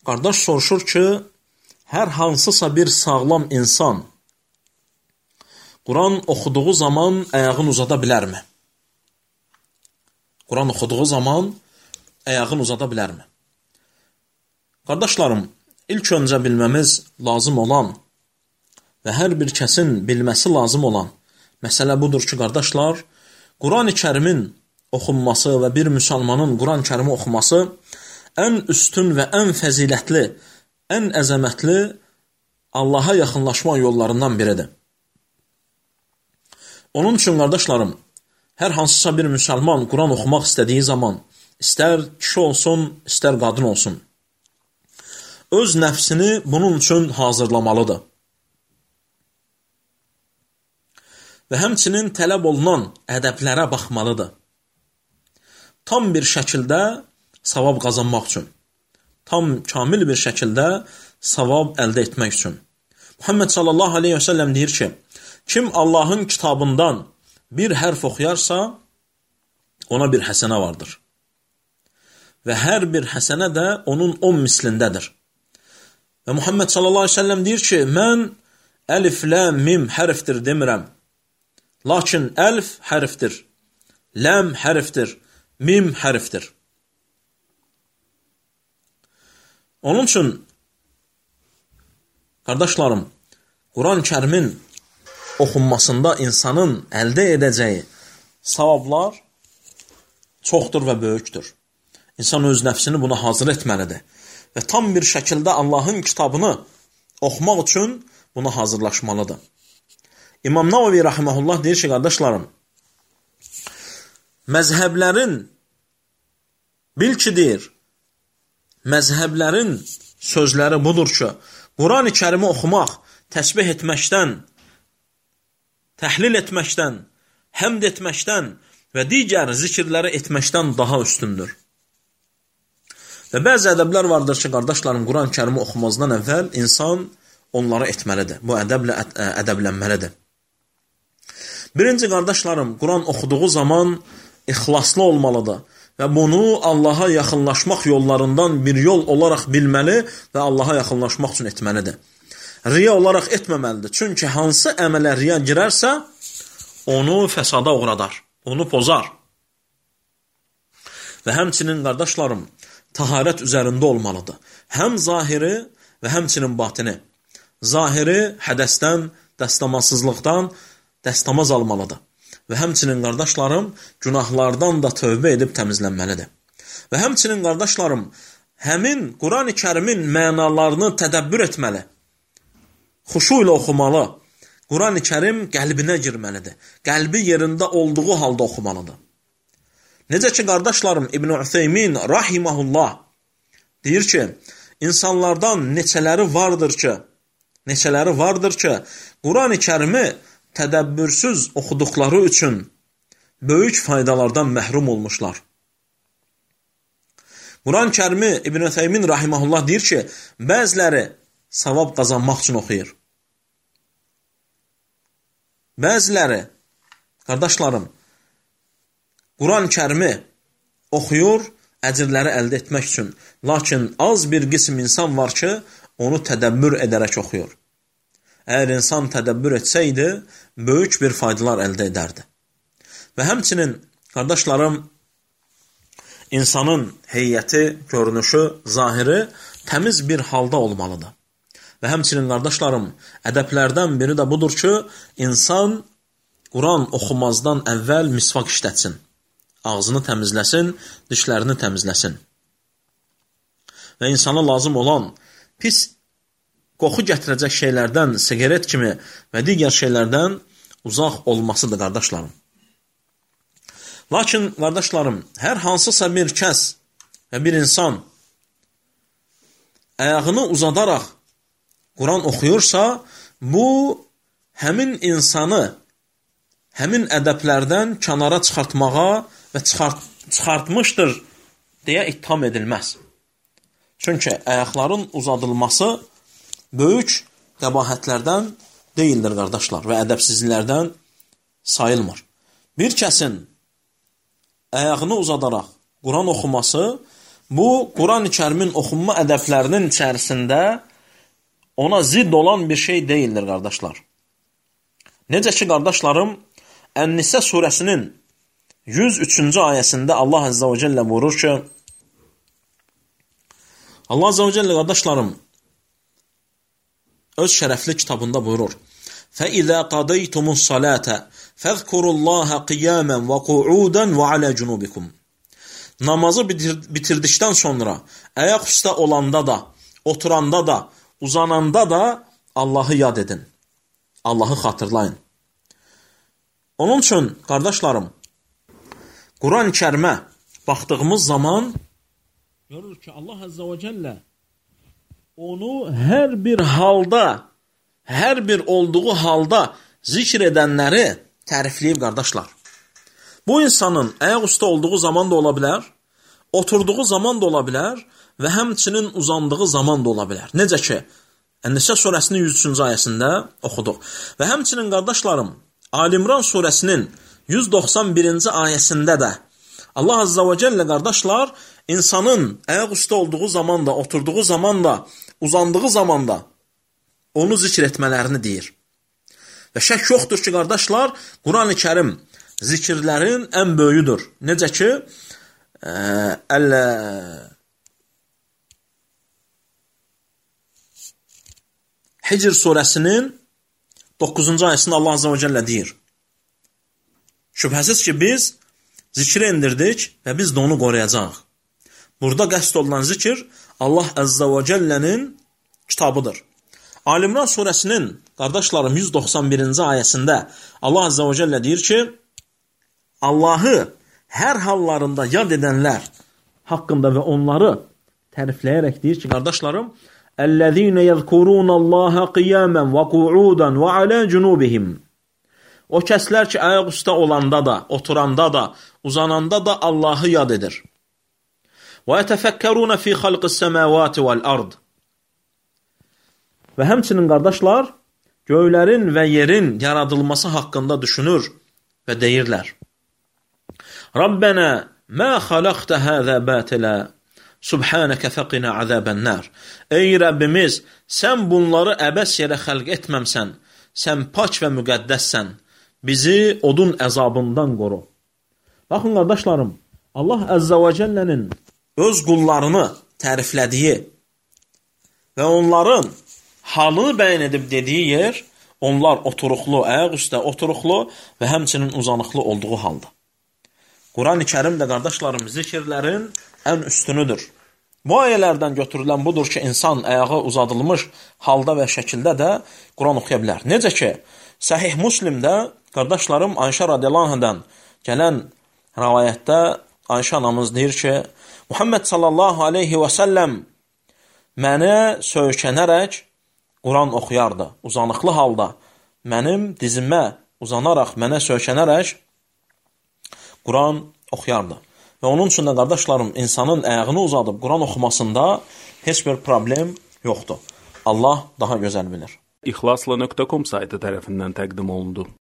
qardaş soruşur ki, hər hansısa bir sağlam insan Quran oxuduğu zaman ayağını uzada bilərmi? Quran oxuduğu zaman ayağını uzada bilərmi? Qardaşlarım, ilk öncə bilməmiz lazım olan və hər bir kəsin bilməsi lazım olan məsələ budur ki, qardaşlar, Quran-ı Kərimin oxunması və bir müsəlmanın Quran-ı Kərimi oxuması ən üstün və ən fəzilətli, ən əzəmətli Allaha yaxınlaşma yollarından biridir. Onun üçün, qardaşlarım, hər hansısa bir müsəlman Quran oxumaq istədiyi zaman, istər kişi olsun, istər qadın olsun, öz nəfsini bunun üçün hazırlamalıdır. Və həmçinin tələb olunan ədəblərə baxmalıdır. Tam bir şəkildə savab qazanmaq üçün, tam kamil bir şəkildə savab əldə etmək üçün. Muhammed sallallahu aleyhi və səlləm deyir ki, kim Allahın kitabından bir hərf oxuyarsa, ona bir həsənə vardır. Və hər bir həsənə də onun 10 mislindədir. Və Muhammed sallallahu aleyhi və səlləm deyir ki, mən əlif, ləm, mim hərfdir demirəm. Lakin əlf hərfdir, ləm hərfdir, mim hərfdir. Onun üçün, qardaşlarım, Quran-ı Kərimin oxunmasında insanın əldə edəcəyi savablar çoxdur və böyükdür. İnsan öz nəfsini buna hazır etməlidir. Və tam bir şəkildə Allahın kitabını oxumaq üçün buna hazırlaşmalıdır. İmam Navavi rahiməhullah deyir ki, qardaşlarım, məzhəblərin, bil ki deyir, məzhəblərin sözləri budur ki, Quran-ı Kərimi oxumaq, təsbih etməkdən, təhlil etməkdən, həmd etməkdən və digər zikirləri etməkdən daha üstündür. Və bəzi ədəblər vardır ki, qardaşlarım, Quran-ı Kərimi oxumazdan əvvəl insan onları etməlidir. Bu ədəblə ədəblənməlidir. Birinci, qardaşlarım, Quran oxuduğu zaman ixlaslı olmalıdır və bunu Allaha yaxınlaşmaq yollarından bir yol olaraq bilməli və Allaha yaxınlaşmaq üçün etməlidir. Riya olaraq etməməlidir. Çünki hansı əmələ riya girərsə, onu fəsada uğradar, onu pozar. Və həmçinin, qardaşlarım, taharət üzərində olmalıdır. Həm zahiri və həmçinin batini. Zahiri hədəsdən, dəstəmazsızlıqdan dəstəmaz almalıdır. Və həmçinin, qardaşlarım, günahlardan da tövbə edib təmizlənməlidir. Və həmçinin, qardaşlarım, həmin Quran-ı Kərimin mənalarını tədəbbür etməli. Xuşu ilə oxumalı. Quran-ı Kərim qəlbinə girməlidir. Qəlbi yerində olduğu halda oxumalıdır. Necə ki, qardaşlarım, İbn Ütheymin rahiməhullah deyir ki, insanlardan neçələri vardır ki, Quran-ı Kərimi tədəbbürsüz oxuduqları üçün böyük faydalardan məhrum olmuşlar. Quran-ı Kərimi İbn Ütheymin rahiməhullah deyir ki, bəziləri savab qazanmaq üçün oxuyur. Bəziləri, qardaşlarım, Quran-ı Kərimi oxuyur, əcrləri əldə etmək üçün. Lakin az bir qism insan var ki, onu tədəbbür edərək oxuyur. Əgər insan tədəbbür etsəydi, böyük bir faydalar əldə edərdi. Və həmçinin, qardaşlarım, insanın heyəti, görünüşü, zahiri təmiz bir halda olmalıdır. Və həmçinin, qardaşlarım, ədəblərdən biri də budur ki, insan Quran oxumazdan əvvəl misvak işlətsin. Ağzını təmizləsin, dişlərini təmizləsin. Və insana lazım olan pis qoxu gətirəcək şeylərdən, siqaret kimi və digər şeylərdən uzaq olmasıdır, qardaşlarım. Lakin, qardaşlarım, hər hansısa bir kəs və bir insan ayağını uzadaraq Quran oxuyursa, bu, həmin insanı həmin ədəblərdən kənara çıxartmağa və çıxartmışdır deyə ittiham edilməz. Çünki ayaqların uzadılması böyük qəbahətlərdən deyildir, qardaşlar, və ədəbsizliklərdən sayılmır. Bir kəsin ayağını uzadaraq Quran oxuması, bu Quran-ı Kərimin oxunma ədəblərinin içərisində ona zidd olan bir şey deyildir, qardaşlar. Necə ki, qardaşlarım, Ən-Nisə surəsinin 103-cü ayəsində Allah Azza və Cəllə buyurur ki, Allah Azza və Cəllə, qardaşlarım, öz şərəfli kitabında buyurur, فَإِذَا قَضَيْتُمُ الصَّلَاةَ فَذْكُرُوا اللّٰهَ قِيَامًا وَقُعُودًا وَعَلَى جُنُوبِكُمْ Namazı bitirdikdən sonra ayaq üstə olanda da, oturanda da, uzananda da Allahı yad edin. Allahı xatırlayın. Onun üçün, qardaşlarım, Quran-ı Kərimə baxdığımız zaman görürük ki, Allah Azza və Cəllə onu hər bir halda, hər bir olduğu halda zikr edənləri tərifləyib, qardaşlar. Bu insanın ayaq üstə olduğu zaman da ola bilər, oturduğu zaman da ola bilər və həmçinin uzandığı zaman da ola bilər. Necə ki, Ən-Nisə surəsinin 103-cü ayəsində oxuduq. Və həmçinin, qardaşlarım, Ali-İmran surəsinin 191-ci ayəsində də Allah Azza və Cəllə, qardaşlar, insanın ayaq üstə olduğu zaman da, oturduğu zaman da, uzandığı zaman da onu zikr etmələrini deyir. Və şək yoxdur ki, qardaşlar, Quran-ı Kərim zikirlərin ən böyüdür. Necə ki, Hicr surəsinin 9-cu ayəsində Allah Azza və Cəllə deyir. Şübhəsiz ki, biz zikri indirdik və biz də onu qoruyacaq. Burada qəsd olunan zikir Allah Azza və Cəllənin kitabıdır. Ali-İmran surəsinin, qardaşlarım, 191-ci ayəsində Allah Azza və Cəllə deyir ki, Allahı hər hallarında yad edənlər haqqında və onları tərifləyərək deyir ki, qardaşlarım, Əl-ləzīnə yəzkurunallaha qiyamən və qu'udan və alə cunubihim. O kəslər ki, ayaq üstə olanda da, oturanda da, uzananda da Allahı yad edir. Və yətəfəkkərunə fi xalqis səməvati vəl-ard. Və həmçinin, qardaşlar, göylərin və yerin yaradılması haqqında düşünür və deyirlər. Rabbənə mə xaləqtə həzə bətilə, subhanəkə fəqinə əzəbən-nər. Ey Rəbbimiz, sən bunları əbəs yerə xəlq etməmsən, sən pak və müqəddəssən, bizi odun əzabından qoru. Baxın, qardaşlarım, Allah Əzzə və Cəllənin öz qullarını təriflədiyi və onların halını bəyan edib dediyi yer, onlar oturuqlu, ayaq üstə oturuqlu və həmçinin uzanıqlı olduğu halda. Quran-ı Kərim də, qardaşlarım, zikirlərin ən üstünüdür. Bu ayələrdən götürülən budur ki, insan ayağı uzadılmış halda və şəkildə də Quran oxuya bilər. Necə ki, Səhih Müslimdə, qardaşlarım, Ayşə radiyallahu anhadan gələn rəvayətdə Ayşə anamız deyir ki, Muhammed sallallahu aleyhi və səlləm mənə söykənərək Quran oxuyardı. Uzanıqlı halda mənim dizimə uzanaraq, mənə söykənərək Quran oxuyardı. Və onun üçün də, qardaşlarım, insanın əyağını uzadıb Quran oxumasında heç bir problem yoxdur. Allah daha gözəl bilir. İxlasla.com saytı tərəfindən təqdim olundu.